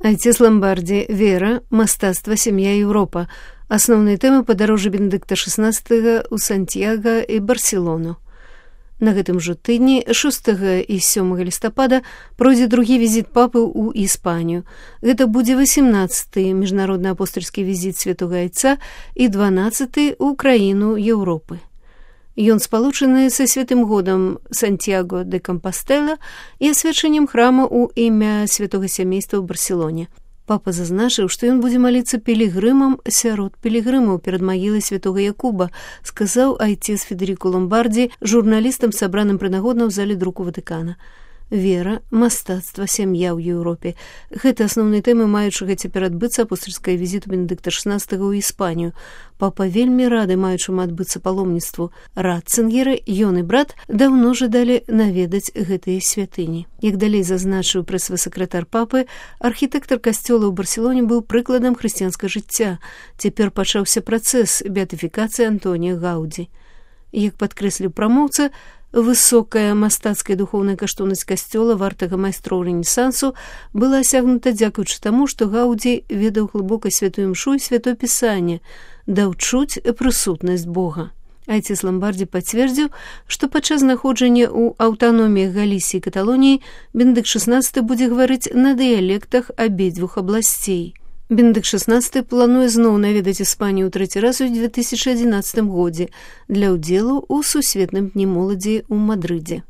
Айцес Ламбарди, вера, мастацтва, сям'я, Еўропа. Асноўныя тэмы падарожжа Бенедыкта XVI ў Сантьяга і Барселону. На гэтым жа тыдні 6 і 7 лістапада пройдзе другі візіт папы ў Іспанію. Гэта будзе 18-й міжнародны апостальскі візіт Святога Айца і 12-й ў краіну Еўропы. Ён спалучаны са святым годам Сантьяго де Кампастела і асвячэннем храма ў імя святога сямейства ў Барселоне. Папа зазначыў, што ён будзе маліцца пілігрымам сярод пілігрымаў перад магілай святога Якуба, сказаў айцец Федерико Ломбарди журналістам, сабраным прынагодна ў зале друку Ватыкана. Вера, мастацтва, сям'я ў Еўропе. Гэта асноўныя тэмы маючага цяпер адбыцца апостальскага візіту Бенедыкта XVI ў Іспанію. Папа вельмі рады маючаму адбыцца паломніцтву. Ратцынгеры, ён і брат даўно жадалі наведаць гэтыя святыні. Як далей зазначыў прэс-сакратар папы, архітэктар касцёла ў Барселоне быў прыкладам хрысціянскага жыцця. Цяпер пачаўся працэс беатыфікацыі Антонія Гаўдзі. Як падкрэсліў прамоўца, высокая мастацкая духоўная каштоўнасць касцёла вартага майстроў рэнесансу была асягнута дзякуючы таму, што Гаўдзі ведаў глыбока святую імшу і святое пісанне, даў чуць прысутнасць Бога. Айцец Ламбарди пацвердзіў, што падчас знаходжання ў аўтаноміях Галісіі і Каталоніі Бенедыкт XVI будзе гаварыць на дыялектах абедзвюх абласцей. Бенедыкт XVI плануе зноў наведаць Іспанію ў трэці раз у 2011 годзе для ўдзелу ў сусветным дні моладзі ў Мадрыдзе.